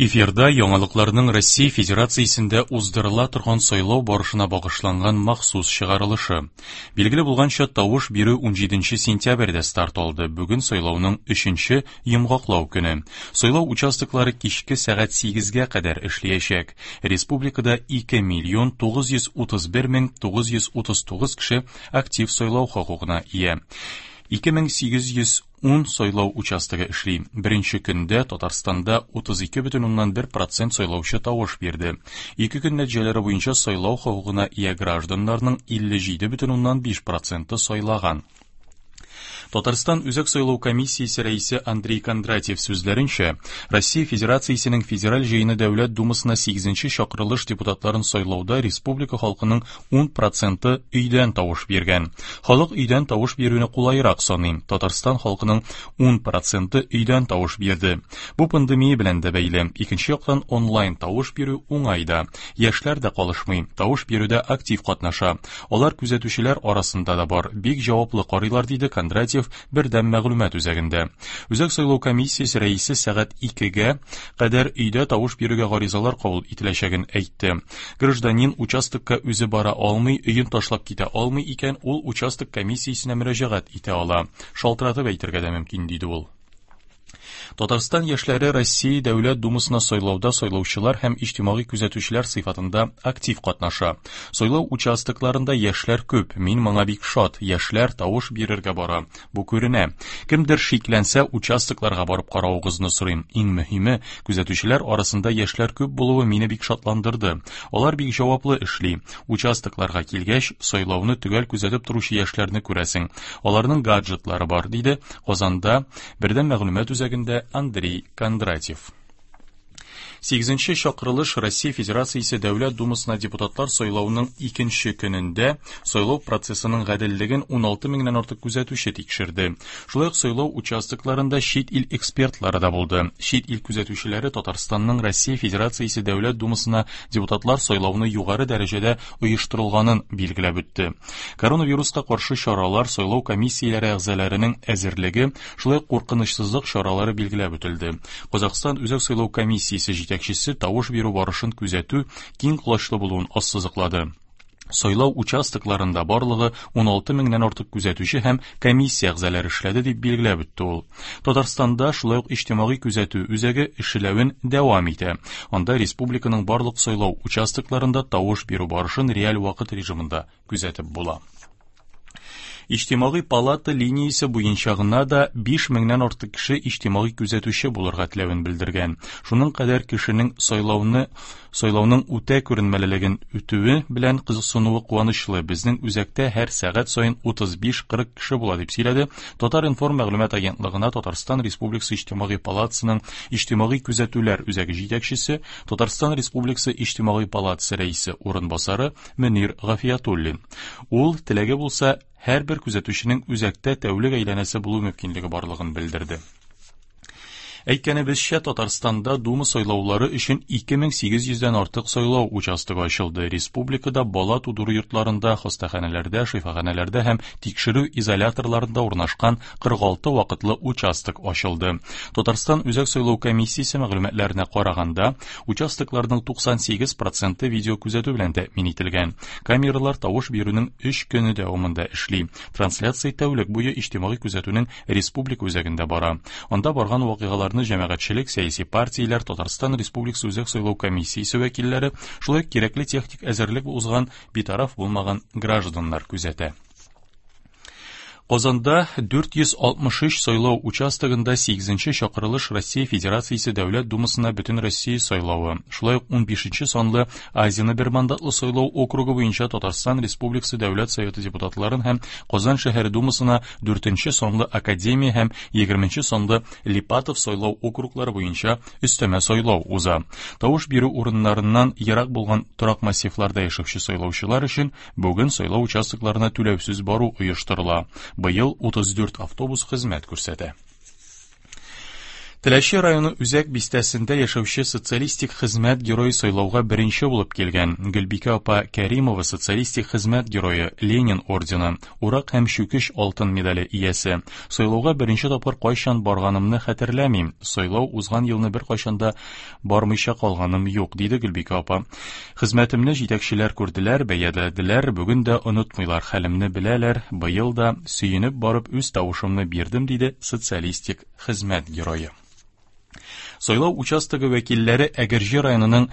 Эфирда яңалыкларның Россия Федерациясендә уздырыла торган сайлау барышына багышланган махсус чыгарылышы. Билгеле булганча, тавыш бирү 17 сентябрьдә старт алды. Бүген сайлауның өченче йомгаклау көне. Сайлау участоклары кичке сәгать 8-гә кадәр эшләячәк. Республикада 2 миллион 931 мең 939 кеше актив сайлау хокукына ия. 2810 сайлау участогы эшли. Беренче көндә Татарстанда 32,1% сайлаучы тавыш бирде. Ике көн нәтиҗәләре буенча сайлау хокукына ия гражданнарның 57,5% сайлаган. Татарстан Үзәк сайлау комиссиясе рәисе Андрей Кондратьев сүзләренчә, Россия Федерациясенең Федераль җыены Дәүләт Думасына 8 чакырылыш депутатларын сайлауда республика халкының 10 проценты өйдән тавыш биргән. Халык өйдән тавыш бирүне кулайрак саный. Татарстан халкының 10 проценты өйдән тавыш бирде. Бу пандемия белән дә бәйле. Икенче яктан онлайн тавыш бирү уңай да. Яшьләр дә калышмый, тавыш бирүдә актив катнаша. Алар күзәтүчеләр арасында да бар, бик җаваплы карыйлар, диде Кондратьев бердәм мәгълүмат үзәгендә. Үзәк сайлау комиссиясе рәисе сәгать 2-гә кадәр өйдә тавыш бирүгә гаризалар кабул ителәчәген әйтте. Гражданин участокка үзе бара алмый, өен ташлап китә алмый икән, ул участок комиссиясенә мөрәҗәгать итә ала. Шалтыратып әйтергә дә мөмкин, диде ул. Татарстан яшьләре Россия Дәүләт Думасына сайлауда сайлаучылар һәм иҗтимагый күзәтүчеләр сыйфатында актив катнаша. Сайлау участокларында яшьләр күп, мин моңа бик шат. Яшьләр тавыш бирергә бара. Бу күренә. Кемдер шикләнсә, участокларга барып каравыгызны сорыйм. Иң мөһиме, күзәтүчеләр арасында яшьләр күп булуы мине бик шатландырды. Алар бик җаваплы эшли. Участокларга килгәч, сайлауны төгәл күзәтеп торучы яшьләрне күрәсең. Аларның гаджетлары бар, диде Казанда Бердәм мәгълүмат үзәгендә Андрей Кондратьев. Сигезенче чакырылыш Россия Федерациясе Дәүләт Думасына депутатлар сайлауның икенче көнендә сайлау процессының гаделлеген 16 меңнән артык күзәтүче тикшерде. Шулай ук сайлау участокларында чит ил экспертлары да булды. Чит ил күзәтүчеләре Татарстанның Россия Федерациясе Дәүләт Думасына депутатлар сайлауны югары дәрәҗәдә оештырылганын билгеләп үтте. Коронавируска каршы чаралар, сайлау комиссияләре әгъзаларының әзерлеге, шулай ук куркынычсызлык чаралары билгеләп үтелде. Казахстан Үзәк сайлау комиссиясе җитәкчесе тавыш бирү барышын күзәтү киң колачлы булуын ассызыклады. Сайлау участокларында барлыгы 16 меңнән артык күзәтүче һәм комиссия әгъзалары эшләде, дип билгеләп үтте ул. Татарстанда шулай ук иҗтимагый күзәтү үзәге эшләвен дәвам итә. Анда республиканың барлык сайлау участокларында тавыш бирү барышын реаль вакыт режимында күзәтеп була. Иҗтимагый палата линиясе буенча гына да 5 меңнән артык кеше иҗтимагый күзәтүче булырга теләвен белдергән. Шуның кадәр кешенең сайлауны сайлауның үтә күренмәлелеген үтүе белән кызыксынуы куанычлы. Безнең үзәктә һәр сәгать саен 35-40 кеше була, дип сөйләде Татар-информ мәгълүмат агентлыгына Татарстан Республикасы Иҗтимагый палатасының Иҗтимагый күзәтүләр үзәге җитәкчесе, Татарстан Республикасы Иҗтимагый палатасы рәисе урынбасары Мөнир Гафиятуллин. Ул, теләге булса, һәрбер күзәтүченең үзәктә тәүлек әйләнәсе булу мөмкинлеге барлыгын белдерде. Әйткәнебезчә, Татарстанда Дума сайлаулары өчен 2800 дән артык сайлау участогы ачылды. Республикада бала тудыру йортларында, хастаханәләрдә, шифаханәләрдә һәм тикшерү изоляторларында урнашкан 46 вакытлы участок ачылды. Татарстан Үзәк сайлау комиссиясе мәгълүматларына караганда, участокларның 98 проценты видеокүзәтү белән тәэмин ителгән. Камералар тавыш бирүнең 3 көне дәвамында эшли. Трансляция тәүлек буе иҗтимагый күзәтүнең республика үзәгендә бара. Анда барган вакыйгаларны җәмәгатьчелек, сәяси партияләр, Татарстан Республикасы Үзәк сайлау комиссиясе вәкилләре, шулай ук кирәкле техник әзерлек узган битараф булмаган гражданнар күзәтә. Казанда 463 сайлау участогында 8 чакырылыш Россия Федерациясе Дәүләт Думасына Бөтенроссия сайлавы, шулай ук 15 санлы Азина бер мандатлы сайлау округы буенча Татарстан Республикасы Дәүләт Советы депутатларын һәм Казан шәһәре Думасына 4 санлы Академия һәм 20 санлы Липатов сайлау округлары буенча өстәмә сайлау уза. Тавыш бирү урыннарыннан ерак булган торак массивларда яшәүче сайлаучылар өчен Бүген сайлау участокларына түләүсез бару оештырыла. Быел 34 автобус хезмәт күрсәтә. Теләче районы үзәк бистәсендә яшәүче социалистик хезмәт герое сайлауга беренче булып килгән. Гөлбикә апа Кәримова социалистик хезмәт герое, Ленин ордены, Урак һәм Чүкеч алтын медале иясе. Сайлауга беренче тапкыр кайчан барганымны хәтерләмим. Сайлау узган елны беркайчан да бармыйча калганым юк, диде Гөлбикә апа. Хезмәтемне җитәкчеләр күрделәр, бәяләделәр, бүген дә онытмыйлар, хәлемне беләләр, быел да сөенеп барып үз тавышымны бирдем, диде социалистик хезмәт герое. Сайлау участогы вәкилләре Әгерҗе районының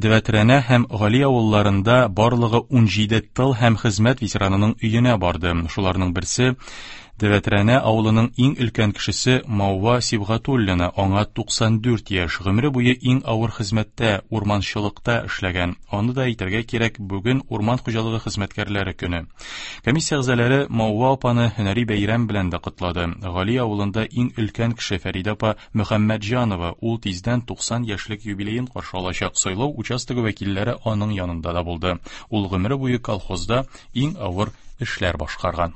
Девәтрәнә һәм Гали авылларында барлыгы 17 тыл һәм хезмәт ветеранының өенә барды. Шуларның берсе Девәтрәнә авылының иң өлкән кешесе Маува Сибгатуллина, аңа 94 яшь, гомере буе иң авыр хезмәттә, урманчылыкта эшләгән. Аны да әйтергә кирәк, бүген урман хуҗалыгы хезмәткәрләре көне. Комиссия әгъзалары Маува апаны һөнәри бәйрәм белән дә котлады. Гали авылында иң өлкән кеше Фәридә апа Мөхәммәтҗанова, ул тиздән 90 яшьлек юбилеен каршы алачак. Сайлау участогы вәкилләре аның янында да булды. Ул гомере буе колхозда иң авыр эшләр башкарган.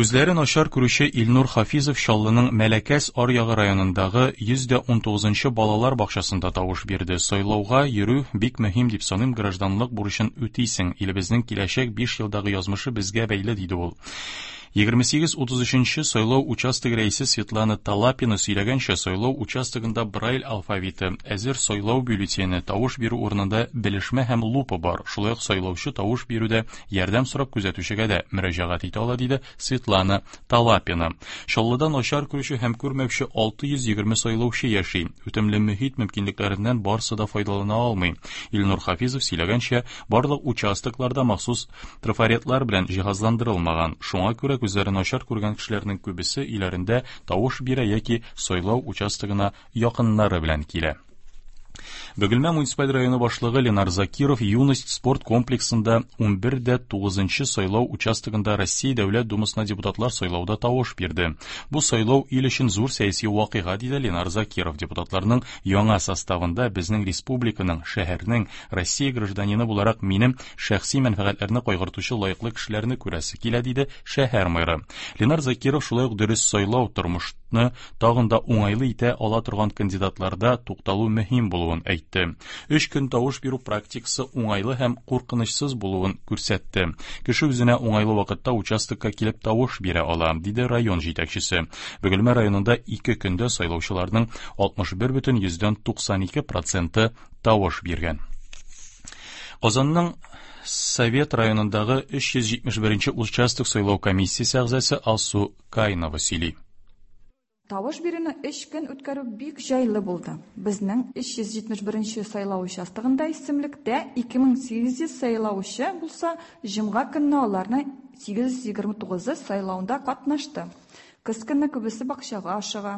Күзләре начар күрүче Илнур Хафизов Чаллының Мәләкәс аръягы районындагы 119 нчы балалар бакчасында тавыш бирде. Сайлауга йөрү бик мөһим дип саныйм, гражданлык бурычын үтисең. Илебезнең киләчәк 5 елдагы язмышы безгә бәйле, диде ул. 28.33 нче сайлау участогы рәисе Светлана Талапина сөйләгәнчә, сайлау участогында Брайль алфавиты, әзер сайлау бюллетене, тавыш бирү урынында белешмә һәм лупа бар. Шулай ук сайлаучы тавыш бирүдә Ярдәм сорап күзәтүчегә дә мөрәҗәгать итә ала, диде Светлана Талапина. Чаллыда начар күрүче һәм күрмәүче 620 сайлаучы яши. Үтемле мөһит мөмкинлекләреннән барсы да файдалана алмый. Илнур Хафизов сөйләгәнчә, барлык участоклар да махсус трафаретлар белән җиһазландырылмаган. Шуңа күрә күзләре начар күргән кешеләрнең күбесе өйләрендә тавыш бирә яки сайлау участогына якыннары белән килә. Бөгелмә муниципаль районы башлыгы Ленар Закиров Юность спорт комплексында 11 дә 9 сайлау участогында Россия Дәүләт Думасына депутатлар сайлауда тавыш бирде. Бу сайлау ил өчен зур сәяси вакыйга, диде Ленар Закиров. Депутатларның яңа составында безнең республиканың, шәһәрнең, Россия гражданины буларак минем шәхси мәнфәгатьләрне кайгыртучы лаеклы кешеләрне күрәсе килә, диде шәһәр мэры. Ленар Закиров шулай ук дөрес сайлау тормышны тагын да уңайлы итә ала торган кандидатларда тукталу мөһим булуын әйтте. Өч көн тавыш бирү практикасы уңайлы һәм куркынычсыз булуын күрсәтте. Кеше үзенә уңайлы вакытта участокка килеп тавыш бирә ала, диде район җитәкчесе. Бөгелмә районында ике көндә сайлаучыларның 61,92 проценты тавыш биргән. Казанның Совет районындагы 371 участок сайлау комиссиясе әгъзасы Алсу Кайнова сөйли. Тавыш бирүне өч көн үткәрү бик җайлы булды. Безнең 371 сайлау участогында исемлектә 2800 сайлаучы булса, җомга көнне аларның 829-ы сайлауда катнашты. Көз көне күбесе бакчага ашыга.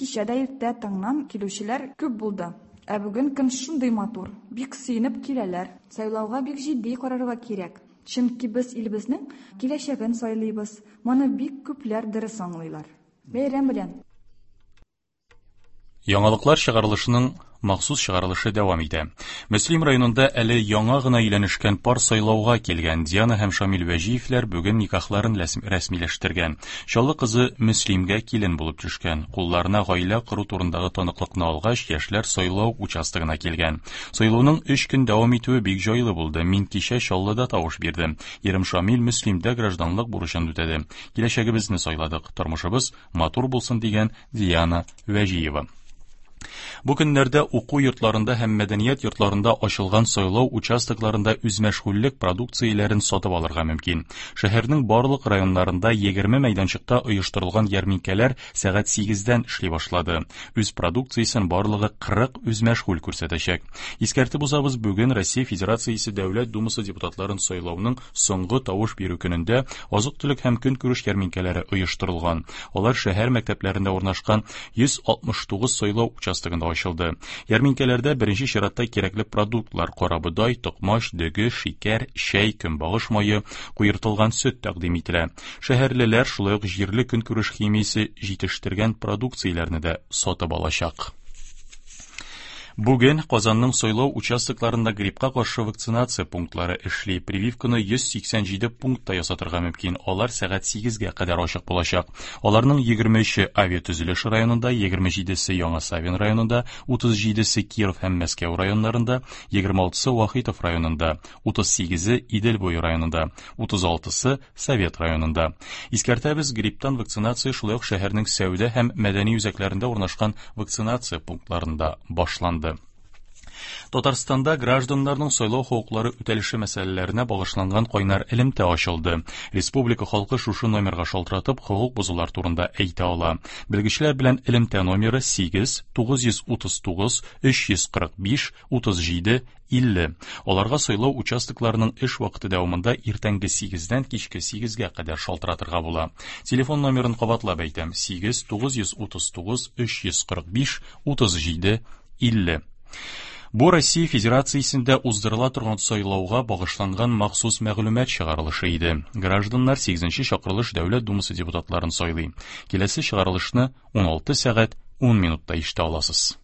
Кичә дә иртә таңнан килүчеләр күп булды. Ә бүген көн шундый матур, бик сөенеп киләләр. Сайлауга бик җитди карарга кирәк. Чөнки без илебезнең киләчәген сайлыйбыз. Моны бик күпләр дөрес аңлыйлар. Бәйрәм белән! Яңалыклар чыгарылышының махсус чыгарылышы дәвам итә. Мөслим районында әле яңа гына өйләнешкән пар сайлауга килгән. Диана һәм Шамил Вәҗиевләр бүген никахларын рәсмиләштергән. Чаллы кызы Мөслимгә килен булып төшкән. Кулларына гаилә кору турындагы таныклыкны алгач, яшьләр сайлау участогына килгән. Сайлауның өч көн дәвам итүе бик җайлы булды. Мин кичә Чаллыда тавыш бирдем. Ирем Шамил Мөслимдә гражданлык бурычын үтәде. Киләчәгебезне сайладык. Тормышыбыз матур булсын, дигән Диана Вәҗиева. Бу көннәрдә уку йортларында һәм мәдәният йортларында ачылган сайлау участокларында үзмәшгульлек продукцияләрен сатып алырга мөмкин. Шәһәрнең барлык районнарында 20 мәйданчыкта оештырылган ярминкәләр сәгать 8-дән эшли башлады. Үз продукциясен барлыгы 40 үзмәшгуль күрсәтәчәк. Искәртеп узабыз, бүген Россия Федерациясе Дәүләт Думасы депутатларын сайлауның соңгы тавыш бирү көнендә азык-төлек һәм көнкүреш ярминкәләре оештырылган. Алар шәһәр мәктәпләрендә урнашкан 169 сайлау участогында ачылды. Ярминкәләрдә беренче чиратта кирәкле продуктлар карабодай, токмач, дөге, шикәр, чәй, көнбагыш мае, куертылган сөт тәкъдим ителә. Шәһәрлеләр шулай ук җирле көнкүреш химиясе җитештергән продукцияләрне дә сатып алачак. Бүген Казанның сайлау участокларында гриппка каршы вакцинация пунктлары эшли. Прививканы 187 пунктта ясатырга мөмкин. Алар сәгать 8-гә кадәр ачык булачак. Аларның 23-е Авиатөзелеш районында, 27-се Яңа Савин районында, 37-се Киров һәм Мәскәү районнарында, 26-сы Вахитов районында, 38-е Идел буе районында, 36-сы Совет районында. Искәртәбез, грипптан вакцинация шулай ук шәһәрнең сәүдә һәм мәдәни үзәкләрендә урнашкан вакцинация пунктларында башланды. Татарстанда гражданнарның сайлау хокуклары үтәлеше мәсьәләләренә багышланган кайнар элемтә ачылды. Республика халкы шушы номерга шалтыратып хокук бозулар турында әйтә ала. Белгечләр белән элемтә номеры 8 939 345 37 50. Аларга сайлау участокларының эш вакыты дәвамында иртәнге 8-дән кичке 8-гә кадәр шалтыратырга була. Телефон номерын кабатлап әйтәм: 8 939 345 37 50. Бу Россия Федерациясендә уздырыла торган сайлауга багышланган махсус мәгълүмат чыгарылышы иде. Гражданнар 8 чакырылыш Дәүләт Думасы депутатларын сайлый. Киләсе чыгарылышны 16 сәгать 10 минутта ишетә аласыз.